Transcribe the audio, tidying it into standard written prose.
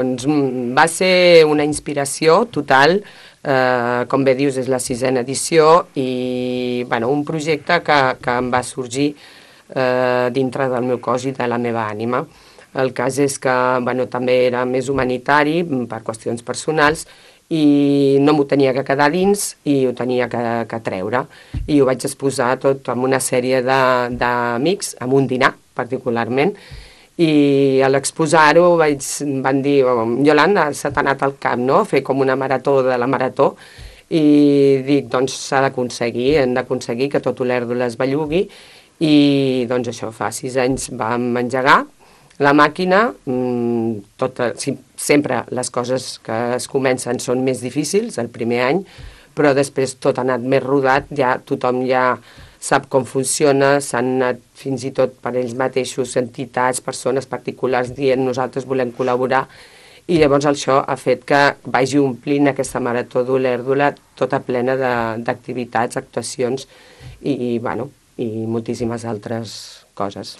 Doncs va ser una inspiració total, com bé dius, és la 6a edició i un projecte que em va sorgir dintre del meu cos i de la meva ànima. El cas és que també era més humanitari per qüestions personals i no m'ho tenia que quedar dins i ho tenia que treure. I ho vaig exposar tot amb una sèrie d'amics, amb un dinar particularment, i a l'exposar-ho van dir, Iolanda, se t'ha anat al cap, no?, fer com una marató de la marató, i dic, doncs s'ha d'aconseguir, hem d'aconseguir que tot Olèrdola es bellugui, i doncs això, fa 6 anys vam engegar la màquina. Sempre les coses que es comencen són més difícils el primer any, però després tot ha anat més rodat, ja tothom ja sap com funciona, s'han anat fins i tot per ells mateixos, entitats, persones particulars dient nosaltres volem col·laborar, i llavors això ha fet que vagi omplint aquesta marató d'Olèrdola tota plena d'activitats, actuacions i moltíssimes altres coses.